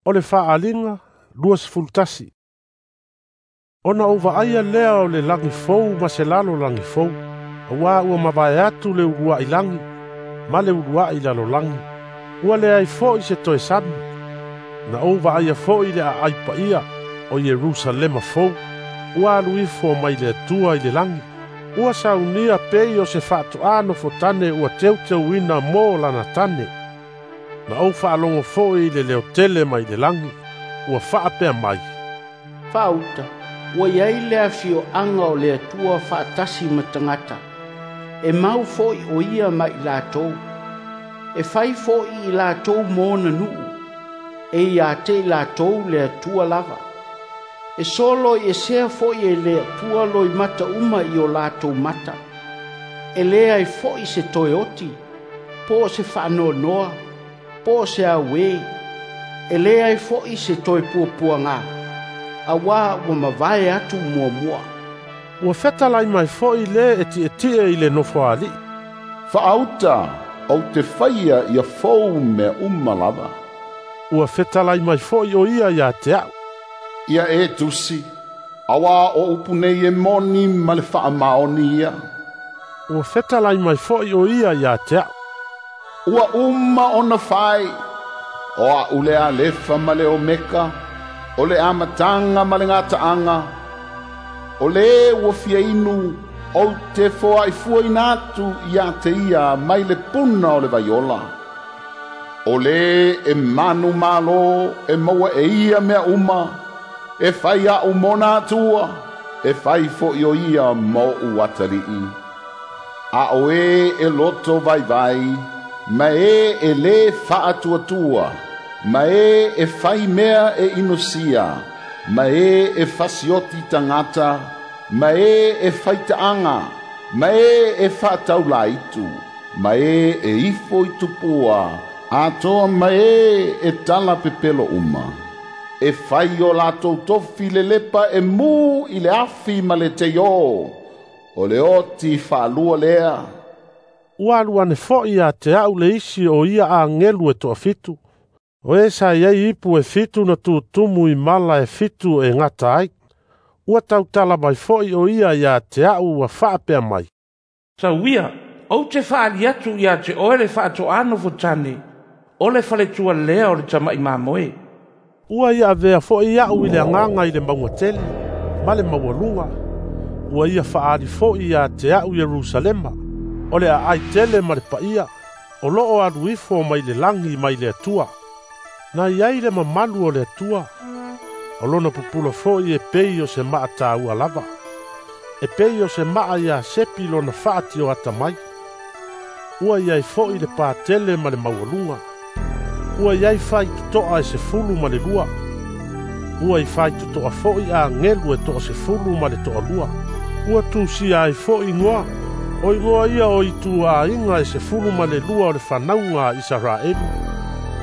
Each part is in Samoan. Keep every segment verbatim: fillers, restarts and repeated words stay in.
O le faaaliga luasefulutasi. Ona ou vaaia lea o le lagi fou ma se lalolagi fou, auā ua mavae atu le uluai lagi ma le uluai lalolagi, ua leai foi se toe sami. Na ou vaaia foi le aai paia o Ierusalema fou, ua alu ifo mai le Atua i le lagi, ua saunia pei o se faatoā nofotane ua teuteuina mo lana tane. Na ou faalogo foi i le leo tele mai le lagi, ua faapea mai, "Faauta, ua iai le afioaga o le Atua faatasi ma tagata, e mau foi o ia ma i latou. E fai foi i latou mo ona nuu, e ia te i latou le Atua lava. E solo i esea foi e le Atua loimata uma i o latou mata. E leai foi se toe oti, po o se faanoanoa, po o se auē. E leai foi se toe puapuagā, auā ua mavae atu muamua." Ua fetalai mai foi le e tietie i le nofoalii, "Faauta, ou te faia ia fou mea uma lava." Ua fetalai mai foi o ia ia te a'u, "Ia e tusi, auā o upu nei e moni ma le faamaoni ia." Ua fetalai mai foi o ia ia te a'u, "Ua uma ona fai, o a'u le Alefa ma le Omeka, o le amataga ma le gataaga. O le ua fia inu, ou te foaifuaina atu ia te ia mai le puna o le vaiola. O le e manumalo e maua e ia mea uma, e fai a'u mona Atua, e fai foi o ia ma o'u atalii. A o e e loto vaivai, ma e e lē faatuatua, ma e e fai mea e inosia, ma e e fasioti tagata, ma e e faitaaga, ma e e faataulaitu, ma e e ifo i tupua, atoa ma e e tala pepelo uma. E fai o latou tofi lelepa e mū i le afi ma le teiō, o le oti faalua lea." Ua alu ane foi ia te a'u le isi o ia agelu e toafitu, o e sa iai ipu e fitu na tutumu i mala e fitu e gata ai. Ua tautala mai foi o ia ia te a'u ua faapea mai, "Tauia, ou te faaali atu ia te oe le faatoā nofotane, o le faletua lea o le tama'i mamoe." Ua ia avea foi a'u i le agaga i le mauga tele ma le maualuga. Ua ia faaali foi ia te a'u Ierusalema, o le aai tele ma le paia, o loo alu ifo mai le lagi mai le Atua. Na iai le mamalu o le Atua, o lona pupula foi e pei o se maa tāua lava, e pei o se maa ia sepi lona faatioata mai. Ua iai foi le patele ma le maualuga. Ua iai faitotoa e sefulu ma le lua. Ua i faitotoa foi agelu e toasefulu ma le toalua. Ua tusia ai foi igoa, o igoa ia o ituaiga e sefulu ma le lua o le fanauga a Isaraelu.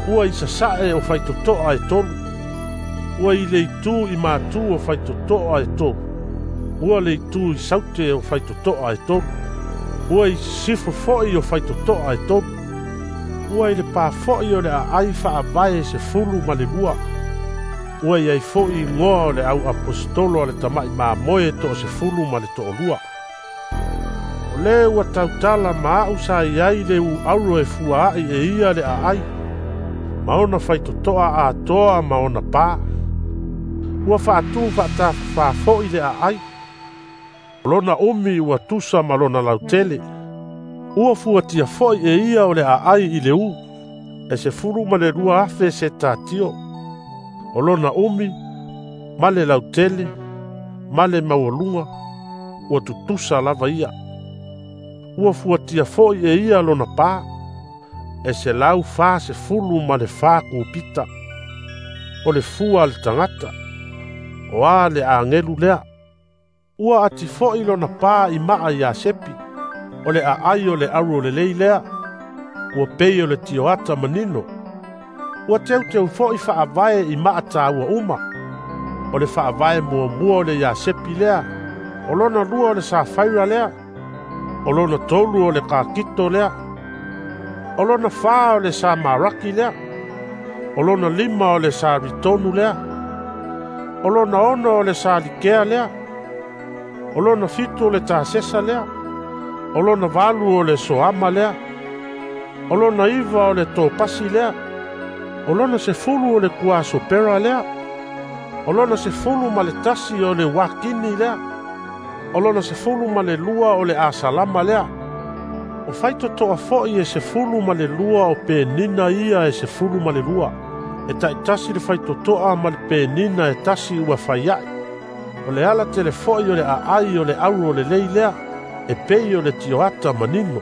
Ua i sasae o faitotoa e tolu. Ua i le itu i matu o faitotoa e tolu. Ua le itu i saute o faitotoa e tolu. Ua i sisifo foi o faitotoa e tolu. Ua i le pā foi o le aai faavae sefulu ma le lua. Ua iai foi igoa o le au aposetolo a le tama'i mamoe toasefulu ma le toalua. O le ua tautala ma a'u sa iai le uauro e fuaai e ia le aai, ma ona faitotoa atoa ma ona pā. Ua faatū faatafafā foi le aai. O lona umi ua tusa ma lona lautele. Ua fuatia foi e ia o le aai i le ū, e sefulu ma le lua afe se tatio. O lona umi, ma le lautele, ma le maualuga, ua tutusa lava ia. Ua fuatia foi e ia lona pā, e selau fasefulu ma le fa kupita. O le fua a le tagata, o a le agelu lea. Ua ati foi lona pā i maa ia sepi, o le aai o le auro lelei lea, ua pei o le tioata manino. Ua teuteu foi faavae i maa tāua uma. O le faavae muamua o le iasepi lea, o lona lua o le safaira lea, o lona tolu o le kakito lea, o lona fā o le samaraki lea, O lona lima o le Saritonu lea. O lona ono o le Salikea lea. O lona fitu o le Tasesa lea. O lona valu o le Soama lea. O lona iva o le Topasi lea. O lona sefulu o le Kuasopera lea. O lona sefulu ma le tasi o le Wakini lea. O lona sefulu ma le lua o le Asalama lea. O faitotoa foi e sefulu ma le lua o penina ia e sefulu ma le lua. E taitasi le faitotoa ma le penina e tasi ua faiai. O le ala tele foi o le aai o le auro le lei lea, e pei o le tioata manino.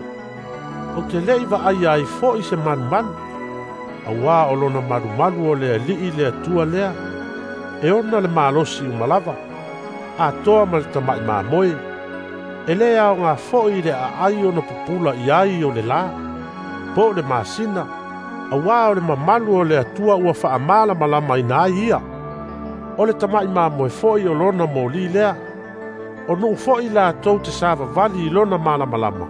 O te lei vaai ai foi se malumalu, auā o lona malumalu o le alii le Atua lea, e ona le malosi umalava, atoa ma le tamai mamoe. E le aoga foi le aai ona pupula i ai o le la, po o le masina, auā o le mamalu o le Atua ua faamalamalamaina ai ia. O le tamai mamoe foi o lona moli lea, o nuu foi latou te savavali i lona malamalama.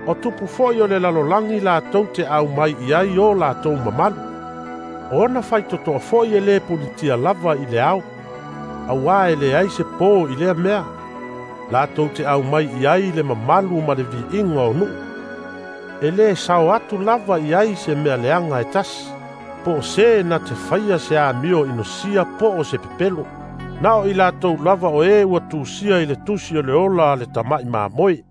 O tupu foi o le lalolagi latou te aumai i ai o latou mamalu. O ona faitotoa foi e le punitia lava i le ao, auā e leai se po i lea mea, latou te aumai i ai le mamalu ma le viiga o nuu. E le sao atu lava i ai se mea leaga e tasi, po o se na te faia se amio inosia po o se pepelo. Na o i latou lava o e ua tusia i le tusi o le ola a le tamai mamoe.